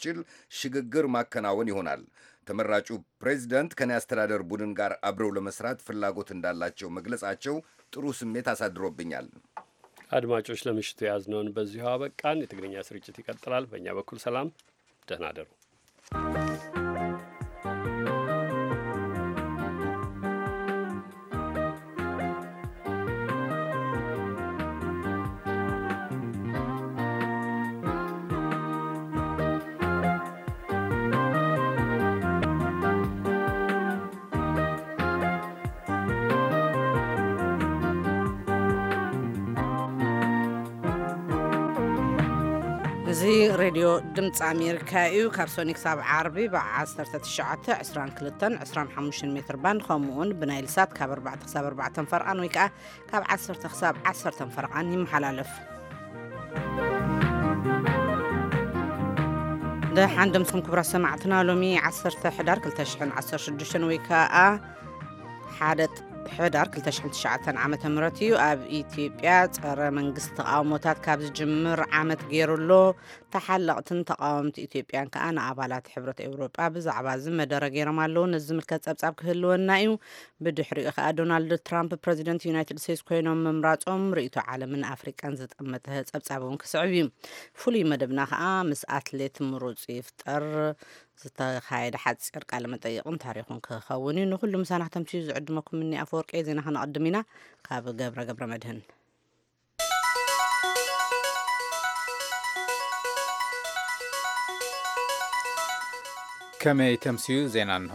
የሚያስችል ሽግግር ማከናወን ይሆናል። ተመራጩ ፕሬዝዳንት ከኔ አስተዳደር ቡድን ጋር አብረው ለመስራት ፍላጎት እንዳላቸው መግለጻቸው ጥሩ ስሜት አሳድሮብኛል። አድማጮች፣ ለምሽቱ የያዝነውን በዚሁ አበቃን። የትግርኛ ስርጭት ይቀጥላል። በእኛ በኩል ሰላም፣ ደህና አደሩ። እዚ ሬድዮ ድምፂ ኣሜሪካ እዩ። ካብ ሶኒ ክሳብ ዓርቢ ብ19፣ 22፣ 25 ሜትር ባንድ፣ ከምኡ እውን ብናይል ሳት ካብ ኣርባዕተ ክሳብ ኣርባዕተ ፈርቓን ወይ ከዓ ካብ ዓሰርተ ክሳብ ዓሰርተ ፈርቓን ይመሓላለፍ። ደሓን ደምስኹም ክቡራት ሰማዕትና። ሎሚ ዓሰርተ ሕዳር ክልተ ሽሕን ዓሰርተ ሽዱሽተን ወይ ከዓ ሓደ ሕዳር ክልተ ሽሕን ትሽዓተን ዓመተ ምህረት እዩ። ኣብ ኢትዮጵያ ጸረ መንግስቲ ተቃውሞታት ካብ ዝጅምር ዓመት ገይሩ ኣሎ። ተሓለቕትን ተቃወምቲ ኢትዮጵያን ከዓ ንኣባላት ሕብረት ኤውሮጳ ብዛዕባ እዚ መደረ ገይሮም ኣለዉ። ነዚ ዝምልከት ጸብጻብ ክህልወና እዩ። ብድሕሪኡ ከዓ ዶናልድ ትራምፕ ፕረዚደንት ዩናይትድ ስቴትስ ኮይኖም ምምራጾም ርእይቶ ዓለምን ኣፍሪቃን ዝጠመተ ጸብጻብ እውን ክስዕብ እዩ። ፍሉይ መደብና ከዓ ምስ ኣትሌት ምሩጽ ይፍጠር ዝተኻየደ ሓጺር ቃለ መጠይቕን ታሪኹን ክኸውን እዩ። ንኹሉ ምሳና ክተምስዩ ዝዕድመኩም እኒ ኣፈወርቂ። ዜና ከነቐድም ኢና። ካብ ገብረ ገብረ መድህን። ከመይ ተምስዩ? ዜና እንሆ።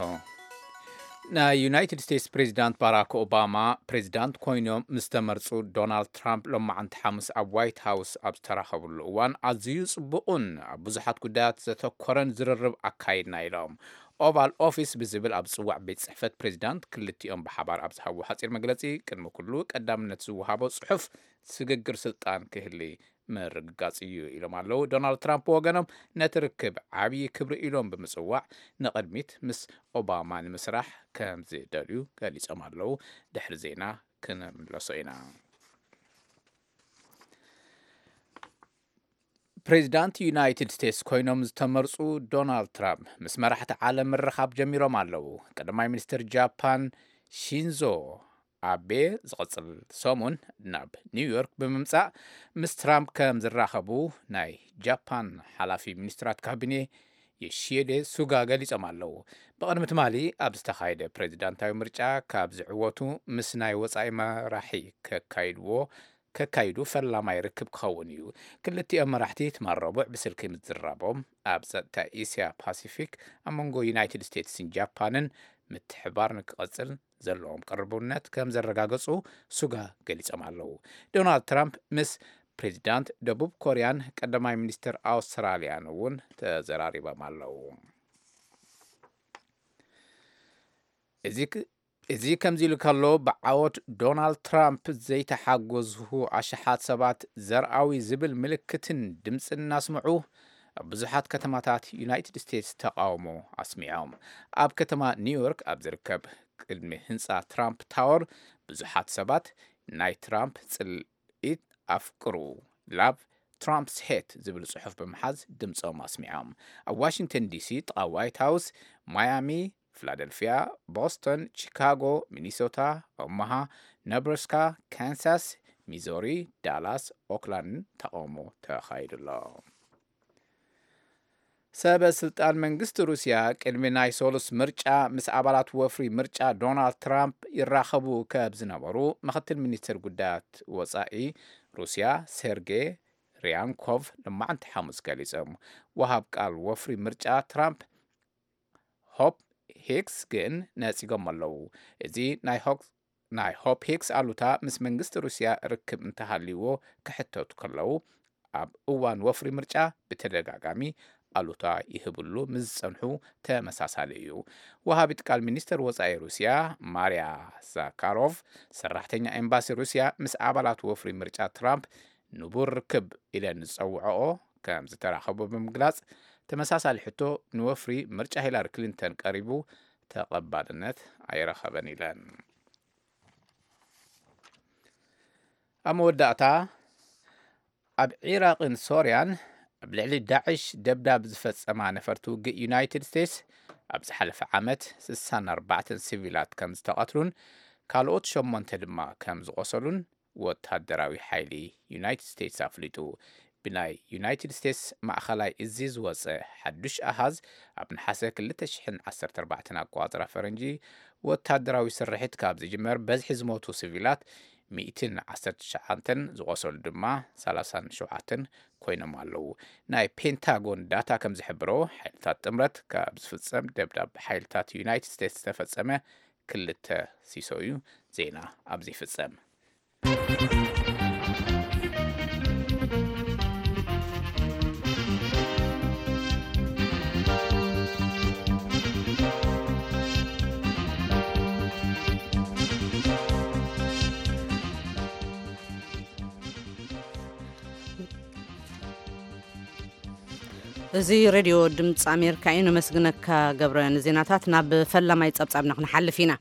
ናይ ዩናይትድ ስቴትስ ፕሬዚዳንት ባራክ ኦባማ ፕሬዚዳንት ኮይኖም ምስ ተመርጹ፣ ዶናልድ ትራምፕ ሎማዓንቲ ሓሙስ ኣብ ዋይት ሃውስ ኣብ ዝተራኸብሉ እዋን ኣዝዩ ጽቡቕን ኣብ ብዙሓት ጉዳያት ዘተኮረን ዝርርብ ኣካይድና ኢሎም። ኦቫል ኦፊስ ብዝብል ኣብ ዝጽዋዕ ቤት ጽሕፈት ፕሬዚዳንት ክልቲኦም ብሓባር ኣብ ዝሃብዎ ሓጺር መግለጺ፣ ቅድሚ ኩሉ ቀዳምነት ዝወሃቦ ጽሑፍ ስግግር ስልጣን ክህሊ ምርግጋጽ እዩ ኢሎም ኣለዉ። ዶናልድ ትራምፕ ብወገኖም ነቲ ርክብ ዓብዪ ክብሪ ኢሎም ብምጽዋዕ፣ ንቕድሚት ምስ ኦባማ ንምስራሕ ከም ዝደልዩ ገሊጾም ኣለዉ። ድሕሪ ዜና ክንምለሶ ኢና። ፕሬዚዳንት ዩናይትድ ስቴትስ ኮይኖም ዝተመርጹ ዶናልድ ትራምፕ ምስ መራሕቲ ዓለም ምርኻብ ጀሚሮም ኣለዉ። ቀዳማይ ሚኒስትር ጃፓን ሺንዞ ኣቤ ዝቐጽል ሰሙን ናብ ኒውዮርክ ብምምጻእ ምስ ትራምፕ ከም ዝራኸቡ ናይ ጃፓን ሓላፊ ሚኒስትራት ካቢኔ ዮሺዴ ሱጋ ገሊጾም ኣለዉ። ብቕድሚ ትማሊ ኣብ ዝተኻየደ ፕሬዚዳንታዊ ምርጫ ካብ ዝዕወቱ ምስ ናይ ወጻኢ መራሒ ከካይድዎ ከካይዱ ፈላማይ ርክብ ክኸውን እዩ። ክልቲኦም መራሕቲ ትማል ረቡዕ ብስልኪ ምዝራቦም ኣብ ጸጥታ ኤስያ ፓሲፊክ ኣብ መንጎ ዩናይትድ ስቴትስን ጃፓንን ምትሕባር ንክቐጽል ዘለዎም ቅርቡነት ከም ዘረጋገጹ ሱጋ ገሊጾም ኣለዉ። ዶናልድ ትራምፕ ምስ ፕሬዚዳንት ደቡብ ኮርያን ቀዳማይ ሚኒስትር ኣውስትራልያን እውን ተዘራሪቦም ኣለዉ። እዚ ክ-፣ እዚ ከምዚ ኢሉ ከሎ፣ ብዓወት ዶናልድ ትራምፕ ዘይተሓጎዝሁ ኣሽሓት ሰባት ዘርኣዊ ዝብል ምልክትን ድምፅን እናስምዑ ኣብ ብዙሓት ከተማታት ዩናይትድ ስቴትስ ተቃውሞ ኣስሚዖም። ኣብ ከተማ ኒውዮርክ ኣብ ዝርከብ ቅድሚ ህንፃ ትራምፕ ታወር ብዙሓት ሰባት ናይ ትራምፕ ጽልኢት ኣፍቅሩ፣ ላቭ ትራምፕስ ሄት ዝብል ጽሑፍ ብምሓዝ ድምፆም ኣስሚዖም። ኣብ ዋሽንግተን ዲሲ፣ ጥቓ ዋይት ሃውስ፣ ማያሚ፣ ፊላደልፊያ፣ ቦስተን፣ ቺካጎ፣ ሚኒሶታ፣ ኦማሃ፣ ነብራስካ፣ ካንሳስ፣ ሚዞሪ፣ ዳላስ፣ ኦክላንድን ተቃውሞ ተኻይዱ ኣሎ። ሰበ ስልጣን መንግስቲ ሩስያ ቅድሚ ናይ ሶሉስ ምርጫ ምስ ኣባላት ወፍሪ ምርጫ ዶናልድ ትራምፕ ይራኸቡ ከብ ዝነበሩ ምክትል ሚኒስትር ጉዳያት ወጻኢ ሩስያ ሴርጌ ሪያንኮቭ ልማዕንቲ ሓሙስ ገሊጾም። ወሃብ ቃል ወፍሪ ምርጫ ትራምፕ ሆፕ ሂክስ ግን ነጺጎም ኣለዉ። እዚ ናይ ሆክ-፣ ናይ ሆፕ ሂክስ ኣሉታ ምስ መንግስቲ ሩስያ ርክብ እንተሃልይዎ ክሕተቱ ከለዉ፣ ኣብ እዋን ወፍሪ ምርጫ ብተደጋጋሚ ኣሉታ ይህብሉ ምስ ዝጸንሑ ተመሳሳሊ እዩ። ወሃቢት ቃል ሚኒስተር ወጻኢ ሩስያ ማርያ ዛካሮቭ፣ ሰራሕተኛ ኤምባሲ ሩስያ ምስ ኣባላት ወፍሪ ምርጫ ትራምፕ ንቡር ርክብ ኢለን ዝጸውዐኦ ከም ዝተራኸቡ ብምግላጽ፣ ተመሳሳሊ ሕቶ ንወፍሪ ምርጫ ሂላሪ ክሊንተን ቀሪቡ ተቐባልነት ኣይረኸበን ኢለን። ኣብ መወዳእታ፣ ኣብ ዒራቕን ሶርያን ኣብ ልዕሊ ዳዕሽ ደብዳብ ዝፈጸማ ነፈርቲ ውግእ ዩናይትድ ስቴትስ ኣብ ዝሓለፈ ዓመት ስሳን ኣርባዕተን ሲቪላት ከም ዝተቐትሉን ካልኦት ሸሞንተ ድማ ከም ዝቖሰሉን ወታደራዊ ሓይሊ ዩናይትድ ስቴትስ ኣፍሊጡ። ብናይ ዩናይትድ ስቴትስ ማእኸላይ እዚ ዝወፀ ሓዱሽ ኣሃዝ፣ ኣብ ነሓሰ ክልተ ሽሕን ዓሰርተ ኣርባዕተን ኣቆፃፅራ ፈረንጂ ወታደራዊ ስርሒት ካብ ዝጅመር በዝሒ ዝሞቱ ሲቪላት ሚእትን ዓሰርተ ትሽዓተን፣ ዝቖሰሉ ድማ ሰላሳን ሸውዓተን ኮይኖም ኣለዉ። ናይ ፔንታጎን ዳታ ከም ዝሕብሮ፣ ሓይልታት ጥምረት ካብ ዝፍጸም ደብዳብ ሓይልታት ዩናይትድ ስቴትስ ዝተፈጸመ ክልተ ሲሶ እዩ። ዜና ኣብዚ ይፍጸም። እዚ ሬድዮ ድምፂ ኣሜሪካ እዩ። ነመስግነካ ገብረ ንዜናታት። ናብ ፈላማይ ጸብጻብና ክንሓልፍ ኢና።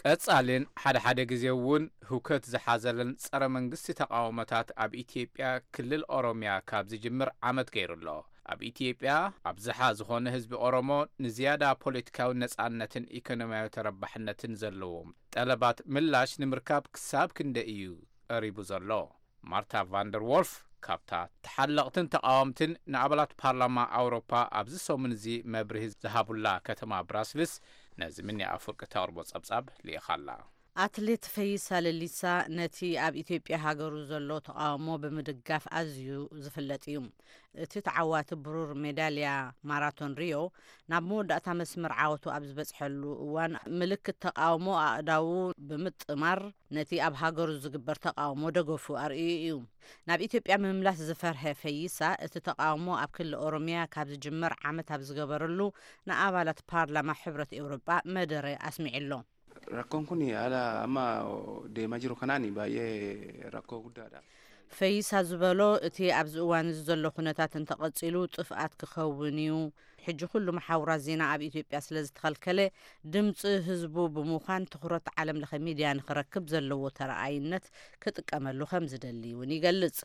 ቀጻልን ሓደ ሓደ ግዜ እውን ህውከት ዝሓዘለን ጸረ መንግስቲ ተቓውሞታት ኣብ ኢትዮጵያ ክልል ኦሮሚያ ካብ ዝጅምር ዓመት ገይሩ ኣሎ። ኣብ ኢትዮጵያ ኣብዝሓ ዝኾነ ህዝቢ ኦሮሞ ንዝያዳ ፖለቲካዊ ነጻነትን ኢኮኖሚያዊ ተረባሕነትን ዘለዎም ጠለባት ምላሽ ንምርካብ ክሳብ ክንደይ እዩ ቀሪቡ ዘሎ? ማርታ ቫንደር ዎልፍ ካብታ ተሓለቕትን ተቓወምትን ንኣባላት ፓርላማ ኣውሮፓ ኣብዚ ሰሙን እዚ መብርሂ ዝሃቡላ ከተማ ብራስልስ ነዚ ምኒ ኣፍወርቂ ተቕርቦ ጸብጻብ ልኢኻላ። ኣትሌት ፈይሳ ለሊሳ ነቲ ኣብ ኢትዮጵያ ሃገሩ ዘሎ ተቓውሞ ብምድጋፍ ኣዝዩ ዝፍለጥ እዩ። እቲ ተዓዋቲ ብሩር ሜዳልያ ማራቶን ሪዮ ናብ መወዳእታ መስመር ዓወቱ ኣብ ዝበጽሐሉ እዋን ምልክት ተቓውሞ ኣእዳዉ ብምጥማር ነቲ ኣብ ሃገሩ ዝግበር ተቓውሞ ደገፉ ኣርእዩ እዩ። ናብ ኢትዮጵያ ምምላስ ዝፈርሀ ፈይሳ እቲ ተቓውሞ ኣብ ክልል ኦሮሚያ ካብ ዝጅመር ዓመት ኣብ ዝገበረሉ ንኣባላት ፓርላማ ሕብረት ኤውሮጳ መደረ ኣስሚዑ ኣሎ። Rakkoon kun haala amma deemaa jiru kanaan baay'ee rakkoo guddaadha. ፈይሳ ዝበሎ እቲ ኣብዚ እዋን እዚ ዘሎ ኩነታት እንተቐጺሉ ጥፍኣት ክኸውን እዩ። ሕጂ ኩሉ መሓውራት ዜና ኣብ ኢትዮጵያ ስለ ዝተኸልከለ ድምፂ ህዝቡ ብምዃን ትኹረት ዓለም ለኸ ሚድያ ንክረክብ ዘለዎ ተረኣይነት ክጥቀመሉ ከም ዝደሊ እውን ይገልጽ።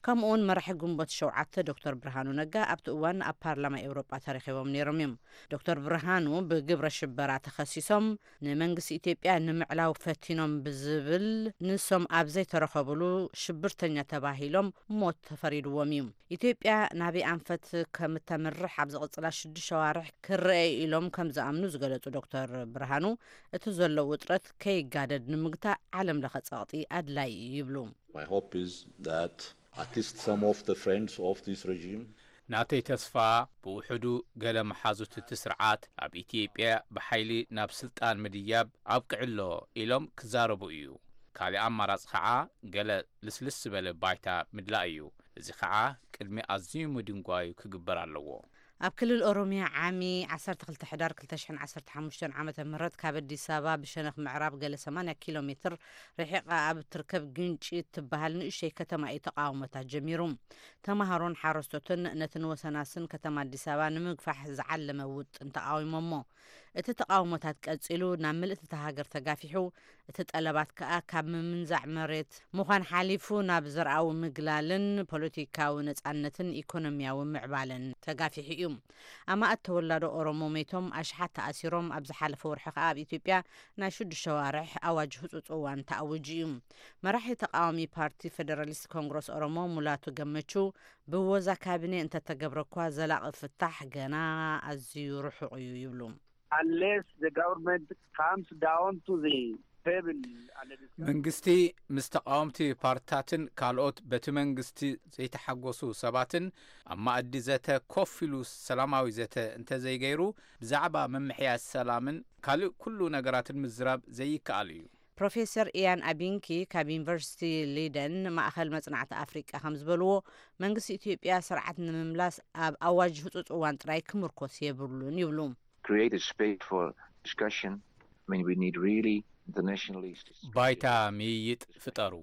ከምኡ እውን መራሒ ግንቦት ሸውዓተ ዶክተር ብርሃኑ ነጋ ኣብቲ እዋን ኣብ ፓርላማ ኤውሮጳ ተረኺቦም ነይሮም እዮም። ዶክተር ብርሃኑ ብግብረ ሽበራ ተኸሲሶም ንመንግስቲ ኢትዮጵያ ንምዕላው ፈቲኖም ብዝብል ንሶም ኣብ ዘይተረኸብሉ ሽብርተኛ ተባሂሎም ሞት ተፈሪድዎም እዩ። ኢትዮጵያ ናበይ ኣንፈት ከም እተምርሕ ኣብ ዝቕፅላ ሽዱሽተ ሸዋርሕ ክረአ ኢሎም ከም ዝኣምኑ ዝገለፁ ዶክተር ብርሃኑ እቲ ዘሎ ውጥረት ከይጋደድ ንምግታእ ዓለም ለኸ ፀቕጢ ኣድላይ እዩ ይብሉ። My hope is that at least some of the friends of this regime ናተይ ተስፋ ብውሕዱ ገለ መሓዙት እቲ ስርዓት ኣብ ኢትዮጵያ ብሓይሊ ናብ ስልጣን ምድያብ ኣብቅዕሎ ኢሎም ክዛረቡ እዩ። ካልእ ኣማራጺ ከዓ ገለ ልስልስ ዝበለ ባይታ ምድላእ እዩ። እዚ ከዓ ቅድሚ ኣዝዩ ምድንጓዩ ክግበር ኣለዎ። ኣብ ክልል ኦሮሚያ ዓሚ ዓሰርተ ክልተ ሕዳር ክልተ ሽሕን ዓሰርተ ሓሙሽተን ዓመተ ምህረት ካብ ኣዲስ ኣበባ ብሸነኽ ምዕራብ ገለ ሰማንያ ኪሎ ሜትር ርሒቓ ኣብ እትርከብ ግንጪ እትበሃል ንእሽተይ ከተማ እዩ ተቓውሞታት ጀሚሩ። ተምሃሮን ሓረስቶትን ነቲ ንወሰናስን ከተማ ኣዲስ ኣበባ ንምግፋሕ ዝዓለመ ውጥን ተቓዊሞሞ። እቲ ተቓውሞታት ቀጺሉ ናብ ምልእቲ እታ ሃገር ተጋፊሑ፣ እቲ ጠለባት ከኣ ካብ ምምንዛዕ መሬት ምዃን ሓሊፉ ናብ ዘርኣዊ ምግላልን ፖለቲካዊ ነጻነትን ኢኮኖሚያዊ ምዕባለን ተጋፊሑ እዩ። ኣማእት ተወላዶ ኦሮሞ ሜቶም፣ ኣሽሓት ተኣሲሮም፣ ኣብ ዝሓለፈ ወርሒ ከኣ ኣብ ኢትዮጵያ ናይ ሽዱሽተ ሸዋርሕ ኣዋጅ ህጹጽ እዋን ተኣዊጁ እዩ። መራሒ ተቓዋሚ ፓርቲ ፌደራሊስት ኮንግረስ ኦሮሞ ሙላቱ ገመቹ ብወዛ ካቢኔ እንተተገብረ እኳ ዘላቒ ፍታሕ ገና ኣዝዩ ርሑቕ እዩ ይብሉ። Unless the government comes down to the table and discuss መንግስቲ ምስ ተቓወምቲ ፓርትታትን ካልኦት በቲ መንግስቲ ዘይተሓጎሱ ሰባትን ኣብ ማእዲ ዘተ ኮፍ ኢሉ ሰላማዊ ዘተ እንተዘይገይሩ ብዛዕባ ምምሕያሽ ሰላምን ካልእ ኩሉ ነገራትን ምዝራብ ዘይከኣል እዩ። ፕሮፌሰር ኢያን ኣቢንኪ ካብ ዩኒቨርሲቲ ሊደን ማእኸል መጽናዕቲ ኣፍሪቃ ከም ዝበልዎ መንግስቲ ኢትዮጵያ ስርዓት ንምምላስ ኣብ ኣዋጅ ህጹጽ እዋን ጥራይ ክምርኮስ የብሉን ይብሉ። Create a space for discussion. I mean, we need really internationally ባይታ ምይይጥ ፍጠሩ።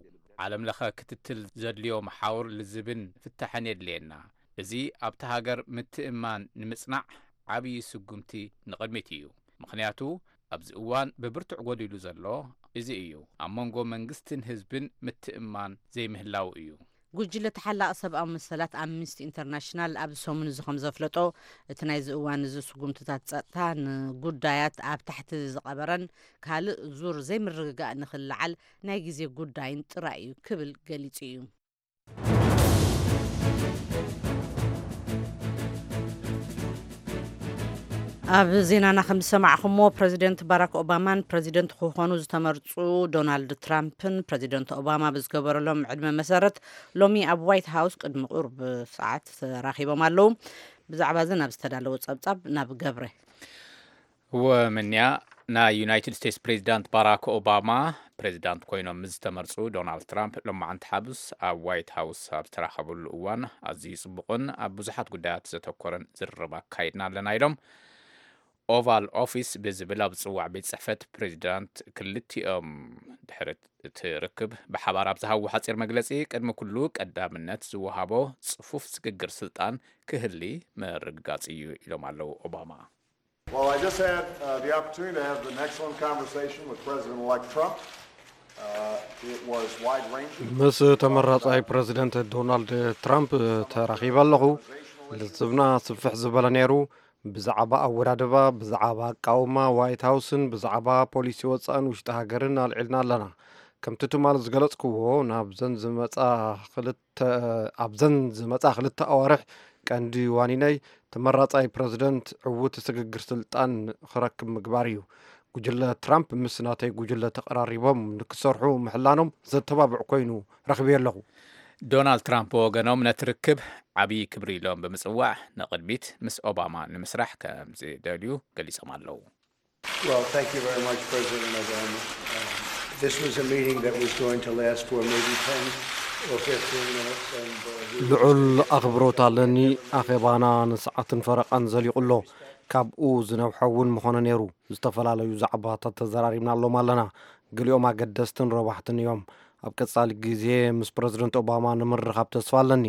ዓለም ለኸ ክትትል ዘድልዮ መሓውር ልዝብን ፍታሕን የድልየና። እዚ ኣብቲ ሃገር ምትእማን ንምጽናዕ ዓብዪ ስጉምቲ ንቕድሚት እዩ። ምኽንያቱ ኣብዚ እዋን ብብርቱዕ ጎዲሉ ዘሎ እዚ እዩ። ኣብ መንጎ መንግስትን ህዝብን ምትእማን ዘይምህላው እዩ። ጉጅለ ተሓላቒ ሰብኣዊ መሰላት ኣምኒስቲ ኢንተርናሽናል ኣብዚ ሰሙን እዚ ከም ዘፍለጦ፣ እቲ ናይዚ እዋን እዚ ስጉምትታት ጸጥታ ንጉዳያት ኣብ ታሕቲ ዝቐበረን ካልእ ዙር ዘይምርግጋእ ንኽልዓል ናይ ግዜ ጉዳይን ጥራይ እዩ ክብል ገሊጹ እዩ። ኣብ ዜናና ከም ዝሰማዕኹሞ፣ ፕረዚደንት ባራክ ኦባማን ፕረዚደንት ክኾኑ ዝተመርጹ ዶናልድ ትራምፕን ፕረዚደንት ኦባማ ብዝገበረሎም ዕድመ መሰረት ሎሚ ኣብ ዋይት ሃውስ ቅድሚ ቁርብ ሰዓት ተራኺቦም ኣለዉ። ብዛዕባ እዚ ናብ ዝተዳለወ ጸብጻብ ናብ ገብረ። ወመንያ፣ ናይ ዩናይትድ ስቴትስ ፕሬዚዳንት ባራክ ኦባማ ፕሬዚዳንት ኮይኖም ምስ ዝተመርጹ ዶናልድ ትራምፕ ሎማዓንቲ ሓሙስ ኣብ ዋይት ሃውስ ኣብ ዝተራኸብሉ እዋን ኣዝዩ ጽቡቕን ኣብ ብዙሓት ጉዳያት ዘተኮረን ዝርርብ ኣካይድና ኣለና ኢሎም። ኦቫል ኦፊስ ብዝብል ኣብ ዝጽዋዕ ቤት ጽሕፈት ፕሬዚዳንት ክልቲኦም ድሕሪ እቲ ርክብ ብሓባር ኣብ ዝሃብዎ ሓጺር መግለጺ፣ ቅድሚ ኩሉ ቀዳምነት ዝወሃቦ ጽፉፍ ስግግር ስልጣን ክህሊ ምርግጋጽ እዩ ኢሎም ኣለዉ ኦባማ። Well, I just had uh, the opportunity to have an excellent conversation with President-elect Trump. Uh, it was wide-ranging. ምስ ተመራጻይ ፕረዚደንት ዶናልድ ትራምፕ ተራኺበ ኣለኹ። ልዝብና ስፍሕ ዝበለ ነይሩ። ብዛዕባ ኣወዳድባ፣ ብዛዕባ ኣቃውማ ዋይት ሃውስን ብዛዕባ ፖሊሲ ወጻእን ውሽጢ ሃገርን ኣልዒልና ኣለና። ከምቲ ትማል ዝገለጽክዎ፣ ናብዘን ዝመጻ ክልተ ኣብዘን ዝመጻ ክልተ ኣዋርሕ ቀንዲ ዋኒነይ ተመራጻይ ፕረዚደንት ዕዉት ስግግር ስልጣን ክረክብ ምግባር እዩ። ጉጅለ ትራምፕ ምስ ናተይ ጉጅለ ተቐራሪቦም ንክሰርሑ ምሕላኖም ዘተባብዕ ኮይኑ ረኺበዮ ኣለኹ። ዶናልድ ትራምፕ ብወገኖም ነቲ ርክብ ዓብዪ ክብሪ ኢሎም ብምጽዋዕ ንቕድሚት ምስ ኦባማ ንምስራሕ ከም ዝደልዩ ገሊጾም ኣለዉ። Well, thank you very much, President Obama. Uh, this was a meeting that was going to last for maybe ten or fifteen minutes, and uh, we ልዑል ኣኽብሮት ኣለኒ። ኣኼባና ንሰዓትን ፈረቓን ዘሊቑ ኣሎ። ካብኡ ዝነውሐ እውን ምኾነ ነይሩ። ዝተፈላለዩ ዛዕባታት ተዘራሪብናሎም ኣለና። ገሊኦም ኣገደስትን ረባሕትን እዮም። ኣብ ቀጻሊ ግዜ ምስ ፕረዚደንት ኦባማ ንምርኻብ ተስፋ ኣለኒ።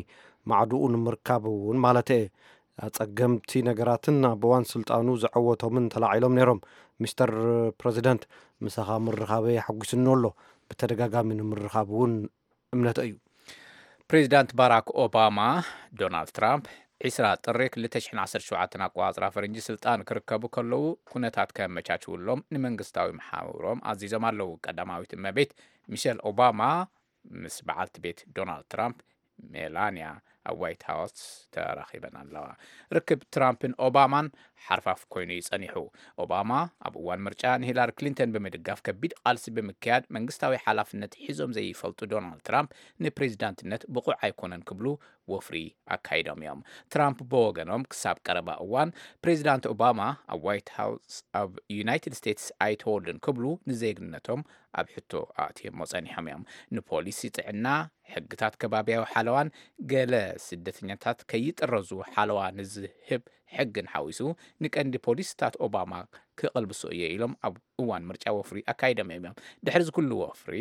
ማዕድኡ ንምርካብ እውን ማለት እየ። ኣጸገምቲ ነገራትን ኣብ እዋን ስልጣኑ ዘዐወቶምን ተላዒሎም ነይሮም። ሚስተር ፕረዚደንት፣ ምሳኻ ምርኻበይ ሓጒስኒ ኣሎ። ብተደጋጋሚ ንምርኻብ እውን እምነተይ እዩ። ፕሬዚዳንት ባራክ ኦባማ፣ ዶናልድ ትራምፕ ዒስራ ጥሪ ክልተ ሽሕን ዓሰርተ ሸውዓተን ኣቆጻጽራ ፈረንጂ ስልጣን ክርከቡ ከለዉ ኩነታት ከመቻችውሎም ንመንግስታዊ መሓውሮም ኣዚዞም ኣለዉ። ቀዳማዊት እመቤት ሚሸል ኦባማ ምስ በዓልቲ ቤት ዶናልድ ትራምፕ ሜላንያ ኣብ ዋይት ሃውስ ተራኺበን ኣለዋ። ርክብ ትራምፕን ኦባማን ሓርፋፍ ኮይኑ እዩ ጸኒሑ። ኦባማ ኣብ እዋን ምርጫ ንሂላሪ ክሊንተን ብምድጋፍ ከቢድ ቃልሲ ብምክያድ መንግስታዊ ሓላፍነት ሒዞም ዘይፈልጡ ዶናልድ ትራምፕ ንፕሬዚዳንትነት ብቑዕ ኣይኮነን ክብሉ ወፍሪ ኣካይዶም እዮም። ትራምፕ ብወገኖም ክሳብ ቀረባ እዋን ፕሬዚዳንት ኦባማ ኣብ ዋይት ሃውስ ኣብ ዩናይትድ ስቴትስ ኣይተወልዱን ክብሉ ንዜግነቶም ኣብ ሕቶ ኣእትዮሞ ጸኒሖም እዮም። ንፖሊሲ ጥዕና፣ ሕግታት ከባብያዊ ሓለዋን ገለ ስደተኛታት ከይጥረዙ ሓለዋ ንዝህብ ሕግን ሓዊሱ ንቀንዲ ፖሊሲታት ኦባማ ክቕልብሶ እየ ኢሎም ኣብ እዋን ምርጫ ወፍሪ ኣካይዶም እዮም። ድሕሪ እዚ ኩሉ ወፍሪ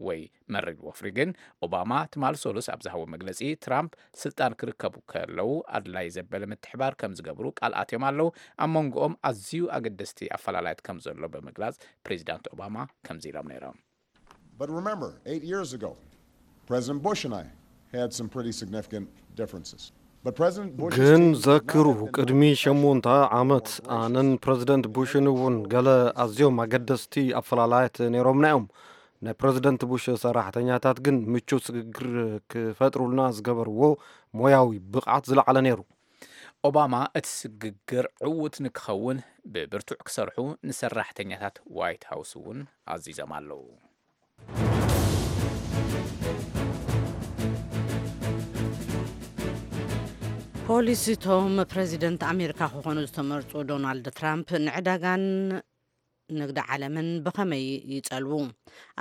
ወይ መሪር ወፍሪ ግን ኦባማ ትማሊ ሰሉስ ኣብ ዝሃቦ መግለጺ ትራምፕ ስልጣን ክርከቡ ከለዉ ኣድላይ ዘበለ ምትሕባር ከም ዝገብሩ ቃል ኣትዮም ኣለዉ። ኣብ መንጎኦም ኣዝዩ ኣገደስቲ ኣፈላላያት ከም ዘሎ ብምግላጽ ፕሬዚዳንት ኦባማ ከምዚ ኢሎም ነይሮም። But remember, eight years ago, President Bush and I had some pretty significant differences. But President Bush's ግን team did not ዘክሩ፣ have to ቅድሚ negotiate ሸሞንተ more ዓመት gracious ኣነን ፕረዚደንት ቡሽን እውን ገለ ኣዝዮም ኣገደስቲ ኣፈላላያት ነይሮምና እዮም። ናይ ፕረዚደንት ቡሽ ሰራሕተኛታት ግን ምቹ ስግግር ክፈጥሩልና ዝገበርዎ ሞያዊ ብቕዓት ዝለዓለ ነይሩ። ኦባማ እቲ ስግግር ዕዉት ንክኸውን ብብርቱዕ ክሰርሑ ንሰራሕተኛታት ዋይት ሃውስ እውን ኣዚዞም ኣለዉ። ፖሊስ እቶም ፕረዚደንት ኣሜሪካ ክኾኑ ዝተመርጹ ዶናልድ ትራምፕ ንዕዳጋን ንግዲ ዓለምን ብኸመይ ይጸልዉ?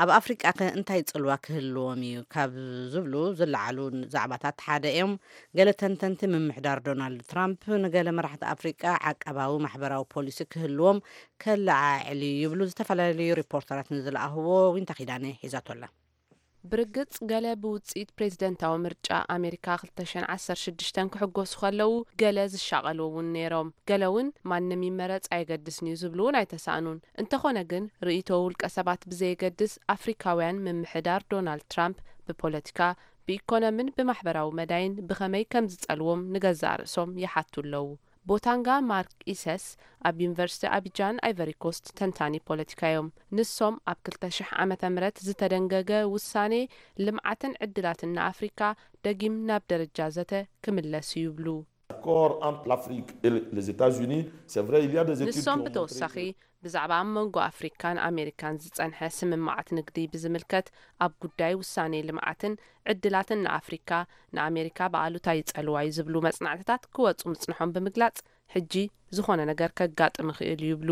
ኣብ ኣፍሪቃ ከ እንታይ ጽልዋ ክህልዎም እዩ? ካብ ዝብሉ ዝለዓሉ ዛዕባታት ሓደ እዮም። ገለ ተንተንቲ ምምሕዳር ዶናልድ ትራምፕ ንገለ መራሕቲ ኣፍሪቃ ዓቃባዊ ማሕበራዊ ፖሊሲ ክህልዎም ከለዓዕል እዩ ይብሉ። ዝተፈላለዩ ሪፖርተራት ንዝለኣኽዎ ዊንታ ኪዳነ ሒዛቶ ኣላ። ብርግጽ ገለ ብውጽኢት ፕሬዝደንታዊ ምርጫ ኣሜሪካ ክልተ ሽሕን ዓሰርተ ሽዱሽተን ክሕጎሱ ከለዉ፣ ገለ ዝሻቐሉ እውን ነይሮም። ገለ እውን ማንም ይመረጽ ኣየገድስን እዩ ዝብሉ እውን ኣይተሳእኑን። እንተኾነ ግን ርእይቶ ውልቀ ሰባት ብዘየገድስ ኣፍሪካውያን ምምሕዳር ዶናልድ ትራምፕ ብፖለቲካ ብኢኮኖምን ብማሕበራዊ መዳይን ብኸመይ ከም ዝጸልዎም ንገዛእ ርእሶም ይሓቱ ኣለዉ። ቦታንጋ ማርክ ኢሰስ ኣብ ዩኒቨርሲቲ ኣቢጃን ኣይቨሪ ኮስት ተንታኒ ፖለቲካ እዮም። ንሶም ኣብ ክልተ ሽሕ ዓመተ ምህረት ዝተደንገገ ውሳኔ ልምዓትን ዕድላትን ንኣፍሪካ ደጊም ናብ ደረጃ ዘተ ክምለስ እዩ ይብሉ። L'accord entre l'Afrique et les États-Unis, c'est vrai, il y a des études qui ንሶም ont montré ብተወሳኺ que ብዛዕባ ኣብ መንጎ ኣፍሪካን ኣሜሪካን ዝጸንሐ ስምምዓት ንግዲ ብዝምልከት ኣብ ጉዳይ ውሳኔ ልምዓትን ዕድላትን ንኣፍሪካ ንኣሜሪካ ብኣሉታ ይጸልዋ እዩ ዝብሉ መጽናዕትታት ክወጹ ምጽንሖም ብምግላጽ ሕጂ ዝኾነ ነገር ከጋጥም ይኽእል እዩ ይብሉ።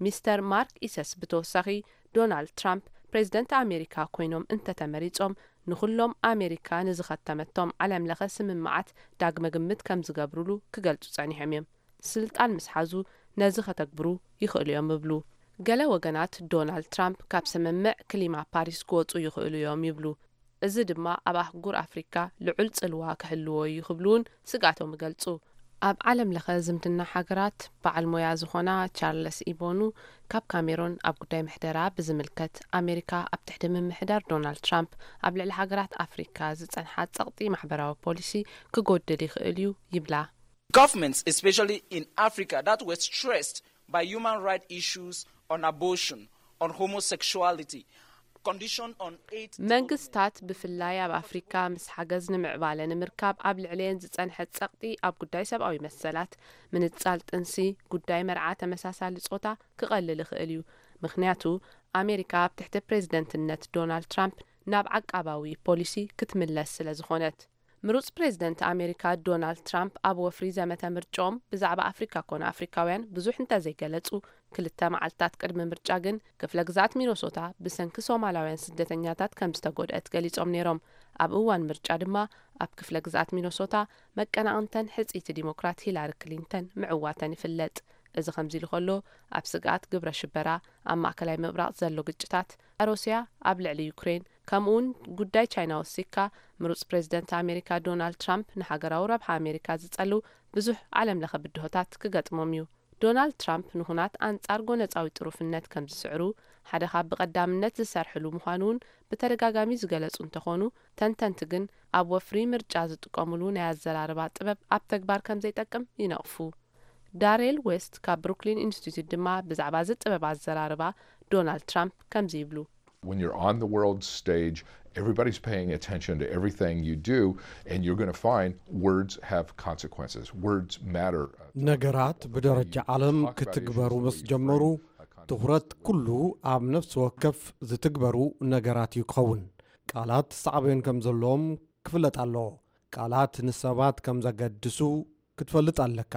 ሚስተር ማርክ ኢሰስ ብተወሳኺ ዶናልድ ትራምፕ ፕሬዝደንት ኣሜሪካ ኮይኖም እንተተመሪጾም ንኹሎም ኣሜሪካ ንዝኸተመቶም ዓለም ለኸ ስምምዓት ዳግመ ግምት ከም ዝገብሩሉ ክገልጹ ጸኒሖም እዮም። ስልጣን ምስ ሓዙ ነዚ ከተግብሩ ይኽእሉ እዮም ይብሉ። ገለ ወገናት ዶናልድ ትራምፕ ካብ ስምምዕ ክሊማ ፓሪስ ክወጹ ይኽእሉ እዮም ይብሉ። እዚ ድማ ኣብ ኣህጉር ኣፍሪካ ልዑል ጽልዋ ክህልዎ እዩ ክብሉ እውን ስግኣቶም ይገልጹ። ኣብ ዓለም ለኸ ዝምድና ሃገራት በዓል ሞያ ዝኾና ቻርለስ ኢቦኑ ካብ ካሜሮን ኣብ ጉዳይ ምሕደራ ብዝምልከት ኣሜሪካ ኣብ ትሕቲ ምምሕዳር ዶናልድ ትራምፕ ኣብ ልዕሊ ሃገራት ኣፍሪካ ዝጸንሓ ጸቕጢ ማሕበራዊ ፖሊሲ ክጎድል ይኽእል እዩ ይብላ። Governments, especially in Africa, that were stressed by human rights issues on abortion, on homosexuality, condition on aid. መንግስታት ብፍላይ ኣብ ኣፍሪካ ምስ ሓገዝ ንምዕባለ ንምርካብ ኣብ ልዕሊየን ዝጸንሐ ጸቕጢ ኣብ ጉዳይ ሰብኣዊ መሰላት፣ ምንጻል ጥንሲ፣ ጉዳይ መርዓ ተመሳሳሊ ጾታ ክቐልል ይኽእል እዩ። ምኽንያቱ ኣሜሪካ ኣብ ትሕቲ ፕሬዝደንትነት ዶናልድ ትራምፕ ናብ ዓቃባዊ ፖሊሲ ክትምለስ ስለ ዝኾነት። ምሩጽ ፕሬዝደንት ኣሜሪካ ዶናልድ ትራምፕ ኣብ ወፍሪ ዘመተ ምርጭኦም ብዛዕባ ኣፍሪካ ኮነ ኣፍሪካውያን ብዙሕ እንተዘይገለጹ፣ ክልተ መዓልታት ቅድሚ ምርጫ ግን ክፍለ ግዝኣት ሚኖሶታ ብሰንኪ ሶማላውያን ስደተኛታት ከም ዝተጎድአት ገሊጾም ነይሮም። ኣብ እዋን ምርጫ ድማ ኣብ ክፍለ ግዝኣት ሚኖሶታ መቀናቕንተን ሕጽይቲ ዲሞክራት ሂላሪ ክሊንተን ምዕዋተን ይፍለጥ። እዚ ከምዚ ኢሉ ከሎ ኣብ ስግኣት ግብረ ሽበራ ኣብ ማእከላይ ምብራቕ ዘሎ ግጭታት፣ ሩስያ ኣብ ልዕሊ ዩክሬን ከምኡውን ጉዳይ ቻይና ወሲካ ምሩጽ ፕሬዝደንት ኣሜሪካ ዶናልድ ትራምፕ ንሃገራዊ ረብሓ ኣሜሪካ ዝጸልው ብዙሕ ዓለም ለኸ ብድሆታት ክገጥሞም እዩ። ዶናልድ ትራምፕ ንኹናት ኣንጻር ጎነጻዊ ጥሩፍነት ከም ዝስዕሩ ሓደ ካብ ብቐዳምነት ዝሰርሕሉ ምዃኑ እውን ብተደጋጋሚ ዝገለጹ እንተኾኑ፣ ተንተንቲ ግን ኣብ ወፍሪ ምርጫ ዝጥቀሙሉ ናይ ኣዘራርባ ጥበብ ኣብ ተግባር ከም ዘይጠቅም ይነቕፉ። ዳሬል ዌስት ካብ ብሩክሊን ኢንስቲትዩት ድማ ብዛዕባ እዚ ጥበብ ኣዘራርባ ዶናልድ ትራምፕ ከምዚ ይብሉ። When you're on the world stage, everybody's paying attention to everything you do, and you're going to find words have consequences. Words matter. ነገራት ብደረጃ ዓለም ክትግበሩ ምስ ጀመሩ፣ ትኹረት ኩሉ ኣብ ነፍሲ ወከፍ ዝትግበሩ ነገራት እዩ ክኸውን። ቃላት ሳዕቤን ከም ዘለዎም ክፍለጥ ኣለዎ። ቃላት ንሰባት ከም ዘገድሱ ክትፈልጥ ኣለካ።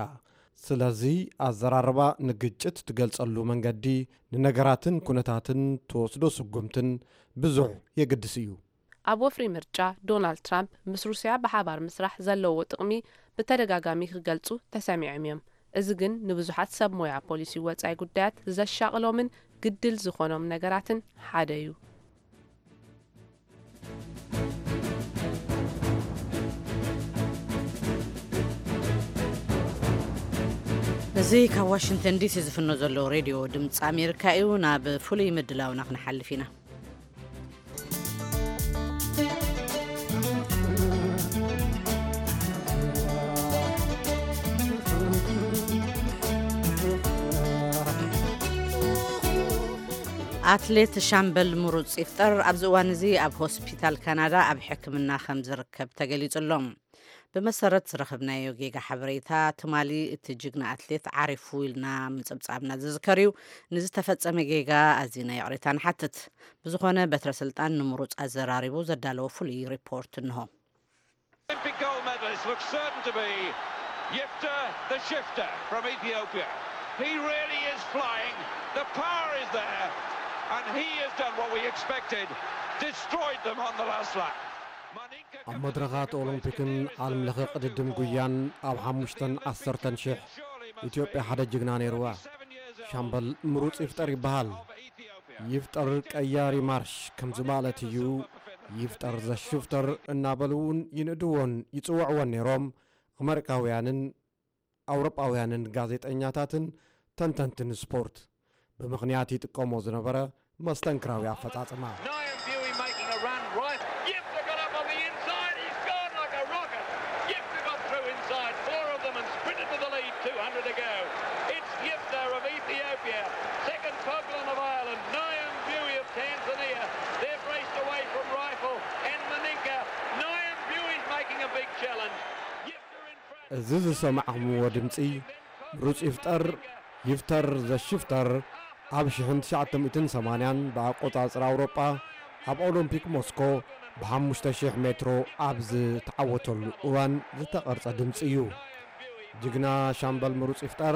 ስለዚ ኣዘራርባ ንግጭት ትገልጸሉ መንገዲ፣ ንነገራትን ኩነታትን ትወስዶ ስጉምትን ብዙሕ የገድስ እዩ። ኣብ ወፍሪ ምርጫ ዶናልድ ትራምፕ ምስ ሩስያ ብሓባር ምስራሕ ዘለዎ ጥቕሚ ብተደጋጋሚ ክገልጹ ተሰሚዖም እዮም። እዚ ግን ንብዙሓት ሰብ ሞያ ፖሊሲ ወጻኢ ጉዳያት ዘሻቕሎምን ግድል ዝኾኖም ነገራትን ሓደ እዩ። እዚ ካብ ዋሽንግተን ዲሲ ዝፍኖ ዘሎ ሬድዮ ድምፂ ኣሜሪካ እዩ። ናብ ፍሉይ ምድላውና ክንሓልፍ ኢና። ኣትሌት ሻምበል ምሩፅ ይፍጠር ኣብዚ እዋን እዚ ኣብ ሆስፒታል ካናዳ ኣብ ሕክምና ከም ዝርከብ ተገሊጹ ኣሎ። ብመሰረት ዝረኸብናዮ ጌጋ ሓበሬታ፣ ትማሊ እቲ ጅግና ኣትሌት ዓሪፉ ኢልና ምጽብጻብና ዝዝከር እዩ። ንዝተፈጸመ ጌጋ ኣዚና ይቕሬታ ንሓትት። ብዝኾነ በትረ ስልጣን ንምሩጽ ኣዘራሪቡ ዘዳለዎ ፍሉይ ሪፖርት እንሆ። Olympic gold medalist looks certain to be Yifter the Shifter from Ethiopia. He really is flying. The power is there, and he has done what we expected, destroyed them on the last lap. ኣብ መድረኻት ኦሎምፒክን ዓለም ለኸ ቅድድም ጉያን ኣብ ሓሙሽተን ዓሰርተን ሽሕ ኢትዮጵያ ሓደ ጅግና ነይርዋ። ሻምበል ምሩፅ ይፍጠር ይበሃል። ይፍጠር ቀያሪ ማርሽ ከምዚ ማለት እዩ፣ ይፍጠር ዘሽፍተር እናበሉ እውን ይንእድዎን ይፅውዕዎን ነይሮም። ኣመሪካውያንን ኣውሮጳውያንን ጋዜጠኛታትን ተንተንትን ስፖርት ብምኽንያት ይጥቀሞ ዝነበረ መስተንክራዊ ኣፈጻጽማ። Niambiui making a run right. Yifter got up on the inside. He It's Yifter of Ethiopia, second Toglan of Ireland, Nayam Bui of Tanzania. They're braced away from rifle, and Maninka. Nayam Bui's making a big challenge. Yifter in front. እዚ ዝሰማዕኹምዎ ድምፂ ምሩፅ ይፍጠር፣ ይፍተር ዘሽፍተር፣ ኣብ ሽሕን ትሽዓተ ሚእትን ሰማንያን ብኣቆፃፅራ ኣውሮጳ ኣብ ኦሎምፒክ ሞስኮ ብሓሙሽተ ሽሕ ሜትሮ ኣብ ዝተዓወተሉ እዋን ዝተቐርጸ ድምፂ እዩ። ጅግና ሻምበል ምሩፅ ይፍጠር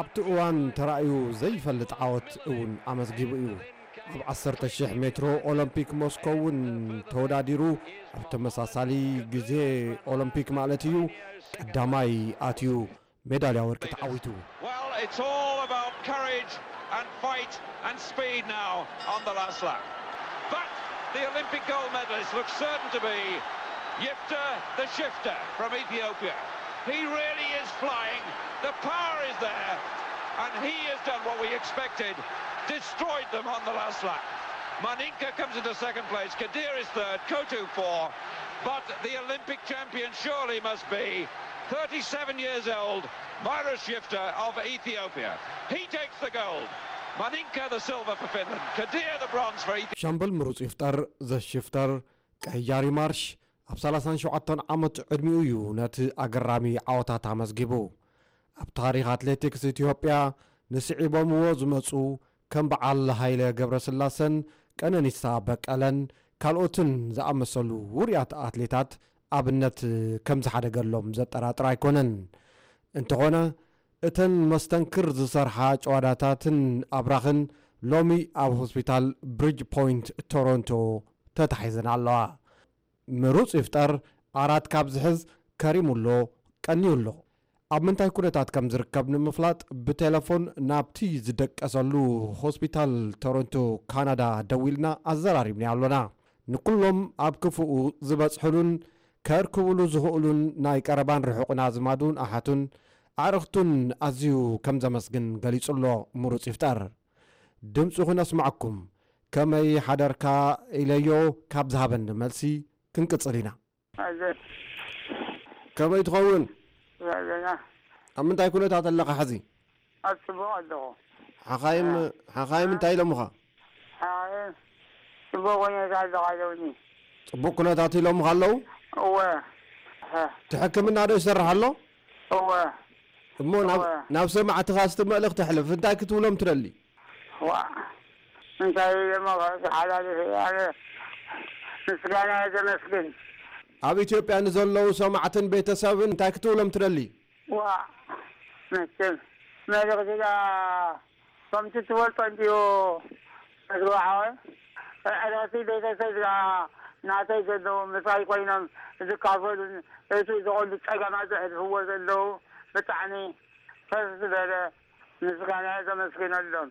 ኣብቲ እዋን ተራእዩ ዘይፈልጥ ዓወት እውን ኣመዝጊቡ እዩ። ኣብ ዓሰርተ ሽሕ ሜትሮ ኦሎምፒክ ሞስኮ እውን ተወዳዲሩ ኣብ ተመሳሳሊ ግዜ ኦሎምፒክ ማለት እዩ ቀዳማይ ኣትዩ ሜዳልያ ወርቂ ተዓዊቱ። Well, it's all about courage and fight and speed now on the last lap. But the Olympic gold medalist looks certain to be Yifter the Shifter from Ethiopia. He really is flying. The power is there, and he has done what we expected, destroyed them on the last lap. Maninka comes into second place, Kadir is third, Kotu four, but the Olympic champion surely must be thirty-seven years old, Myra Shifter of Ethiopia. He takes the gold. Maninka the silver for Finland, Kadir the bronze for Ethiopia. ሻምበል ምሩፅ ይፍጠር ዘሽፍተር ቀያሪ ማርሽ ኣብ ሰላሳን ሸውዓተን ዓመት ዕድሚኡ እዩ ነቲ ኣገራሚ ዓወታት ኣመዝጊቡ። ኣብ ታሪኽ ኣትሌቲክስ ኢትዮጵያ ንስዒቦምዎ ዝመፁ ከም በዓል ሃይለ ገብረስላሰን ቀነኒሳ በቀለን ካልኦትን ዝኣመሰሉ ውሩያት ኣትሌታት ኣብነት ከም ዝሓደገሎም ዘጠራጥር ኣይኮነን። እንተኾነ እተን መስተንክር ዝሰርሓ ጨዋዳታትን ኣብራኽን ሎሚ ኣብ ሆስፒታል ብሪጅ ፖይንት ቶሮንቶ ተታሒዘን ኣለዋ። ምሩፅ ይፍጠር ዓራት ካብ ዝሕዝ ከሪሙ ኣሎ፣ ቀንዩ ኣሎ። ኣብ ምንታይ ኩነታት ከም ዝርከብ ንምፍላጥ ብቴለፎን ናብቲ ዝደቀሰሉ ሆስፒታል ቶሮንቶ ካናዳ ደዊልና ኣዘራሪብናዮ ኣሎና። ንኩሎም ኣብ ክፉኡ ዝበፅሕሉን ከእርክብሉ ዝኽእሉን ናይ ቀረባን ርሑቕን ኣዝማዱን ኣሓቱን ኣዕርኽቱን ኣዝዩ ከም ዘመስግን ገሊጹ ኣሎ ምሩፅ ይፍጠር። ድምፁ ክነስምዓኩም ከመይ ሓደርካ ኢለዮ ካብ ዝሃበኒ መልሲ ክንቅፅል ኢና። ኣዘ ከመይ ትኸውን? ዘለና ኣብ ምንታይ ኩነታት ኣለኻ ሕዚ? ኣብ ፅቡቕ ኣለኹ። ሓኻይም ሓኻይም እንታይ ኢሎምኻ? ሓኻይም ፅቡቕ ኩነታት ኣለኻ ኣለውኒ። ፅቡቕ ኩነታት ኢሎምኻ ኣለዉ? እወ። እቲ ሕክምና ዶ ይሰርሕ ኣሎ? እወ። እሞ ናብ- እወ። ናብ ሰማዕትኻ ስቲ መልእኽቲ ኣሕልፍ። እንታይ ክትብሎም ትደሊ? ዋ እንታይ ኢለ መቐረት ሓላልፍ ኣነ ምስጋና ዘመስግን። ኣብ ኢትዮጵያ ንዘለዉ ሰማዕትን ቤተሰብን እንታይ ክትብሎም ትደሊ? ዋ መቸም መልእኽቲ ዳ ከምቲ ትፈልጦ እንድዩ ዝግባሓወ ዕረፍቲ ቤተሰብ ዳ ናተይ ዘለዉ ምሳይ ኮይኖም ዝካፈሉን እቲ ዝቐሉ ጸገማት ዘሕልፍዎ ዘለዉ ብጣዕሚ ከፍ ዝበለ ምስጋና ዘመስግነሎም።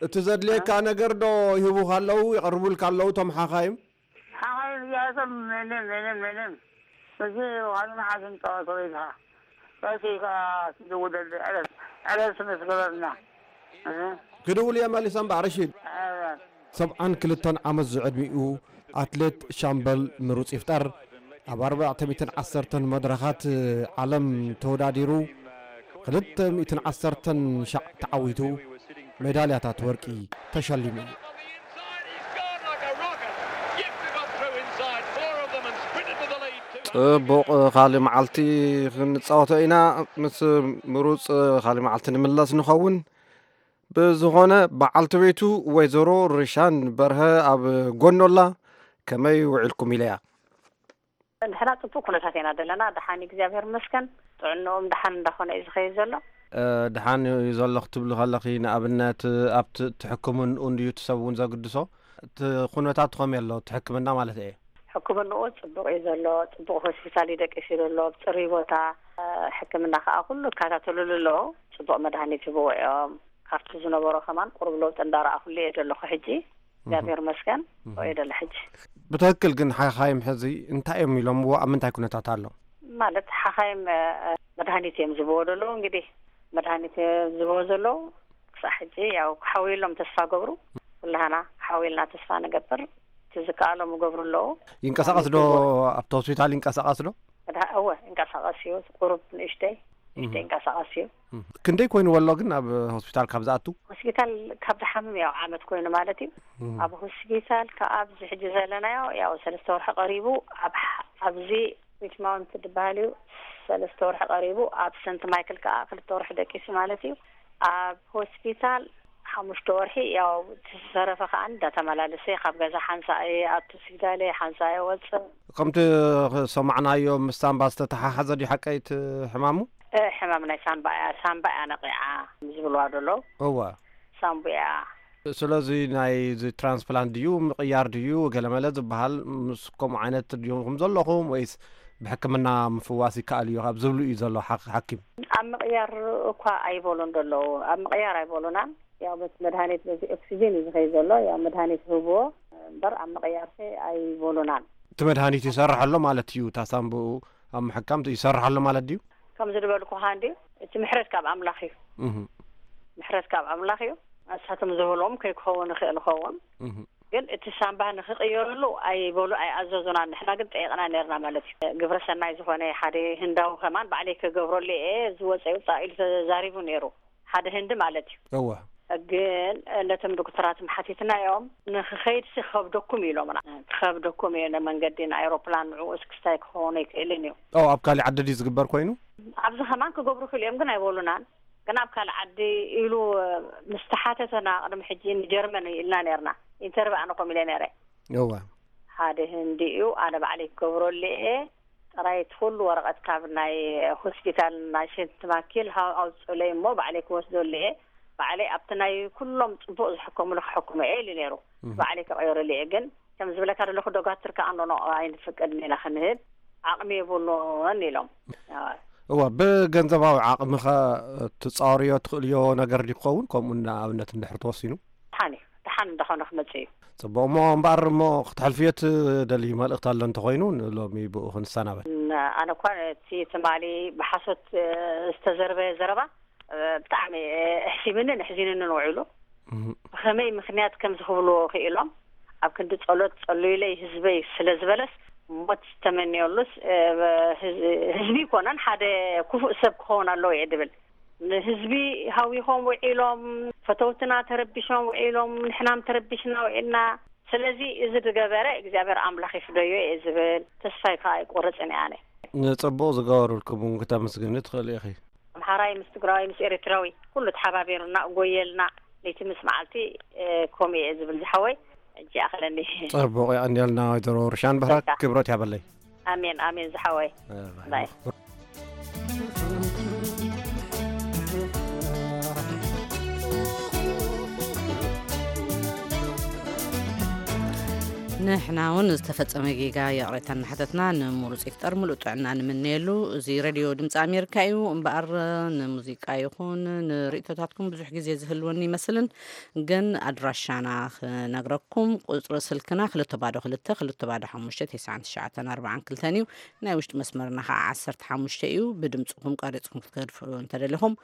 እቲ ዘድልየካ ነገር ዶ ይህቡኻ ኣለዉ የቕርቡልካ ኣለዉ እቶም ሓኻይም? ሓኻይም እዚኣቶም ምንም ምንም ምንም እዚ ዋሉ መዓልቲ ንጠዋት ወይልካ ቀስ ኢልካ ትድውለሉ ዕረፍ ዕረፍ ስለ ዝገበርና። ክድውል እየ መሊሰ እምበኣር እሺ። ሰብዓን ክልተን ዓመት ዝዕድሚኡ ኣትሌት ሻምበል ምሩፅ ይፍጠር ኣብ ኣርባዕተ ሚእትን ዓሰርተን መድረኻት ዓለም ተወዳዲሩ ክልተ ሚእትን ዓሰርተን ሻዕ ተዓዊቱ ሜዳልያታት ወርቂ ተሸሊሙ እዩ። Inside he's gone like a rocket. Yifter got through inside four of them and sprinted to the lead. Two ጽቡቕ፣ ካልእ መዓልቲ ክንጻወቶ ኢና ምስ ምሩጽ። ካልእ መዓልቲ ንምለስ ንኸውን። ብዝኾነ በዓልቲ ቤቱ ወይዘሮ ርሻን በርሀ ኣብ ጎኖ ኣላ። ከመይ ውዒልኩም ኢለያ። ንሕና ጽቡቕ ኩነታት ኢና ዘለና፣ ደሓን እዩ እግዚኣብሔር ይመስገን። ጥዕንኦም ደሓን እንዳኾነ እዩ ዝኸይድ ዘሎ። ደሓን እዩ ዘሎ ክትብሊ ከለኺ ንኣብነት ኣብቲ ትሕክምንኡ እንድዩ እቲ ሰብ እውን ዘግድሶ? እቲ ኩነታቱ ከመይ ኣሎ እቲ ሕክምና ማለት እየ። ሕክምንኡ ጽቡቕ እዩ ዘሎ፣ ጽቡቕ ሆስፒታል እዩ ደቂሱ ዘሎ፣ ኣብ ጽሩይ ቦታ ሕክምና ከዓ ኩሉ ይከታተልሉ ኣለዉ። ጽቡቕ መድሃኒት ይህብዎ እዮም። ካብቲ ዝነበሮ ከማን ቁሩብ ለውጢ እንዳረኣኹሉ እየ ዘለኹ ሕጂ እግዚኣብሔር ይመስገን። እየ ደለ ሕጂ። ብትክክል ግን ሓኻይም ሕዚ እንታይ እዮም ኢሎምዎ ኣብ ምንታይ ኩነታት ኣሎ? ማለት ሓኻይም መድሃኒት እዮም ዝህብዎ ዘለዉ። እንግዲህ መድሃኒት እዮም ዝህብዎ ዘለዉ። ክሳዕ ሕጂ ያው ክሓውይሎም ተስፋ ገብሩ። ኩላህና ሓውይልና ተስፋ ንገብር። እቲ ዝከኣሎም ይገብሩ ኣለዉ። ይንቀሳቐስ ዶ ኣብቲ ሆስፒታል ይንቀሳቐስ ዶ? መድሃ- እወ ይንቀሳቐስ እዩ። ቁሩብ ንእሽተይ ይንቀሳቐስ እዩ። ክንደይ ኮይኑ ወሎ ግን ኣብ ሆስፒታል ካብ ዝኣቱ? ሆስፒታል ካብ ዝሓምም ያው ዓመት ኮይኑ ማለት እዩ። ኣብ ሆስፒታል ከኣ ኣብዚ ሕጂ ዘለናዮ ያው ሰለስተ ወርሒ ቀሪቡ፣ ኣብ ኣብዚ ዊች ማውንት ዝበሃል እዩ፣ ሰለስተ ወርሒ ቀሪቡ፣ ኣብ ሰንት ማይክል ከኣ ክልተ ወርሒ ደቂሱ ማለት እዩ። ኣብ ሆስፒታል ሓሙሽተ ወርሒ፣ ያው እቲ ዝተረፈ ከኣ እንዳተመላለሰ ካብ ገዛ ሓንሳእ ኣቱ ስግዳለ ሓንሳእ ወፅእ። ከምቲ ሰማዕናዮ ምስ ሳምባ ዝተተሓሓዘ ድዩ ሓቀይ እቲ ሕማሙ? እ፣ ሕማም ናይ ሳምባ እያ፣ ሳምባ እያ ነቂዓ ዝብልዋ ደለዉ። እዋ። ሳምቡያ። ስለዚ ናይ እዚ ትራንስፕላንት ድዩ ምቕያር ድዩ ገለመለ ዝበሃል ምስ ከምኡ ዓይነት ድኹም ዘለኹም ወይስ ብሕክምና ምፍዋስ ይከኣል እዩ ካብ ዝብሉ እዩ ዘሎ ሓኪም? ኣብ ምቕያር እኳ ኣይበሉን ደለዉ፣ ኣብ ምቕያር ኣይበሉናን። ያው በቲ መድሃኒት በዚ ኦክሲጅን እዩ ዝኸይ ዘሎ። ያው መድሃኒት ህብዎ እምበር ኣብ ምቕያር ከ ኣይበሉናን። እቲ መድሃኒት ይሰርሕ ኣሎ ማለት እዩ። እታ ሳምብኡ ኣብ ምሕካም ይሰርሕ ኣሎ ማለት ድዩ? ከምዚ ዝበልኩኻ እንዲ እቲ ምሕረት ካብ ኣምላኽ እዩ። ምሕረት ካብ ኣምላኽ እዩ። እሳቶም ዝበልዎም ከይክኸውን ይኽእል ይኸውን። ግን እቲ ሳምባ ንኽቕየረሉ ኣይበሉ ኣይኣዘዙናን። ንሕና ግን ጠይቕና ነርና ማለት እዩ። ግብረ ሰናይ ዝኾነ ሓደ ህንዳዊ ከማን ባዕለይ ክገብረሉ እየ ዝወፀ ይውፃእ ኢሉ ተዛሪቡ ነይሩ። ሓደ ህንዲ ማለት እዩ። እወ። ግን ነቶም ዶክተራት ሓቲትናዮም ንክኸይድሲ ክኸብደኩም ኢሎምና። ክኸብደኩም እዩ ንመንገዲ ንኣይሮፕላን ንዕኡ እስክስታይ ክኸውን ኣይክእልን እዩ። ኦ ኣብ ካሊእ ዓዲ ድዩ ዝግበር ኮይኑ? ኣብዚ ከማን ክገብሩ ክልኦም ግን ኣይበሉናን። ግን ኣብ ካልእ ዓዲ ኢሉ ምስ ተሓተተና ቅድሚ ሕጂ ንጀርመን ኢልና ነርና። ኢንተርቪ ኣነ ኮም ኢለ ነረ። እወ። ሓደ ህንዲ እዩ ኣነ ባዕለይ ክገብረሉ እየ። ጥራይ እቲ ኩሉ ወረቐት ካብ ናይ ሆስፒታል ናይ ሽንት ማኪል ሃው ኣውፅኡለይ እሞ ባዕለይ ክወስደሉ እየ። ባዕለይ ኣብቲ ናይ ኩሎም ፅቡቕ ዝሕከሙሉ ክሕክሞ እየ ኢሉ ነይሩ። ባዕለይ ክቐይረሉ እየ ግን ከም ዝብለካ ዘለኹ ዶጋትር ከኣ ኖኖ ኣይንፍቅድን ኢና ክንህብ ዓቕሚ የብሉን ኢሎም። እዋ ብገንዘባዊ ዓቕምኸ ትፃወርዮ ትኽእልዮ ነገር ድዩ ክኸውን ከምኡ ንኣብነት እንድሕር ተወሲኑ? ደሓን እዩ። ደሓን እንዳኾነ ክመጽእ እዩ። ጽቡቕ እሞ እምበኣር እሞ ክተሕልፍዮ ትደልዩ መልእኽቲ ኣሎ እንተኾይኑ ንሎሚ ብኡ ክንሰናበት። ኣነ እኳ እቲ ትማሊ ብሓሶት ዝተዘርበ ዘረባ ብጣዕሚ ኣሕሲብንን ኣሕዚንንን ውዒሉ። ብኸመይ ምኽንያት ከም ዝኽብልዎ ክኢሎም ኣብ ክንዲ ጸሎት ጸልዩለይ ህዝበይ ስለ ዝበለስ ሞት ዝተመንየሉስ ህዝቢ ይኮነን ሓደ ክፉእ ሰብ ክኸውን ኣለዎ እየ ድብል። ንህዝቢ ሃዊኾም ውዒሎም፣ ፈተውትና ተረቢሾም ውዒሎም፣ ንሕናም ተረቢሽና ውዒልና። ስለዚ እዚ ዝገበረ እግዚኣብሔር ኣምላኽ ይፍደዮ እየ ዝብል ተስፋይ ከዓ ኣይቆርፅን እየ ኣነ። ንፅቡቕ ዝገበሩልኩም እውን ክተመስግኒ ትኽእሊ ኢኺ። ኣምሓራይ ምስ ትግራዋይ ምስ ኤርትራዊ ኩሉ ተሓባቢሩና እጎየልና ለይቲ ምስ መዓልቲ ከምኡ እየ ዝብል ዝሓወይ። ሕጂ ይኣኽለኒ። ፅቡቕ የቐንየልና ወይዘሮ ርሻን ብሕረት ክብረት ያበለይ። ኣሜን ኣሜን ዝሓወይ። ባይ። ንሕና እውን ዝተፈጸመ ጌጋ ይቕሬታ እናሓተትና ንምሩፅ ይፍጠር ምሉእ ጥዕና ንምነየሉ። እዚ ሬድዮ ድምፂ ኣሜሪካ እዩ እምበኣር ንሙዚቃ ይኹን ንርእቶታትኩም ብዙሕ ግዜ ዝህልወኒ ይመስልን፣ ግን ኣድራሻና ክነግረኩም ቁፅሪ ስልክና ክልተ ባዶ ክልተ ክልተ ባዶ ሓሙሽተ ተስዓን ትሽዓተን ኣርባዓን ክልተን እዩ። ናይ ውሽጢ መስመርና ከዓ ዓሰርተ ሓሙሽተ እዩ። ብድምፅኹም ቀሪፅኩም ክትገድፉ እንተደሊኹም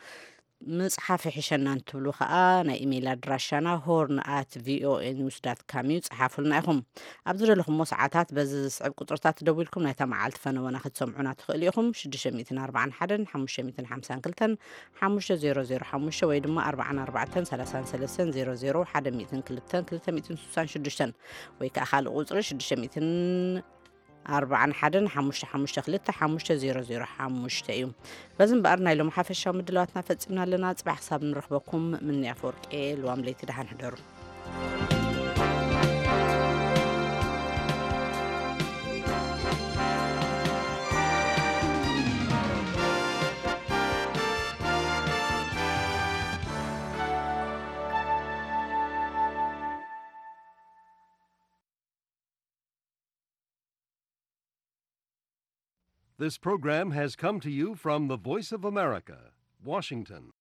ምፅሓፍ ይሕሸና እንትብሉ ከዓ ናይ ኢሜይል ኣድራሻና ሆርን ኣት ቪኦኤ ኒውስ ዳት ካም እዩ። ፀሓፉልና ኢኹም። ኣብ ዝደለኹሞ ሰዓታት በዚ ዝስዕብ ቁፅርታት ደዊልኩም ናይታ መዓልቲ ፈነወና ክትሰምዑና ትኽእሉ ኢኹም። ሽዱሽተ ሚእትን ኣርባዓን ሓደን ሓሙሽተ ሚእትን ሓምሳን ክልተን ሓሙሽተ ዜሮ ዜሮ ሓሙሽተ ወይ ድማ ኣርባዓን ኣርባዕተን ሰላሳን ሰለስተን ዜሮ ዜሮ ሓደ ሚእትን ክልተን ክልተ ሚእትን ስሳን ሽዱሽተን ወይ ከዓ ካልእ ቁፅሪ ሽዱሽተ ሚእትን ኣርባዓን ሓደን ሓሙሽተ ሓሙሽተ ክልተ ሓሙሽተ ዜሮ ዜሮ ሓሙሽተ እዩ። በዚ እምበኣር ናይ ሎም ሓፈሻዊ ምድላዋትና ፈጺምና ኣለና። ጽባሕ ክሳብ ንረኽበኩም ምንያ ኣፈወርቂ ልዋም ለይቲ ደሓን ሕደሩ። This program has come to you from the Voice of America, Washington.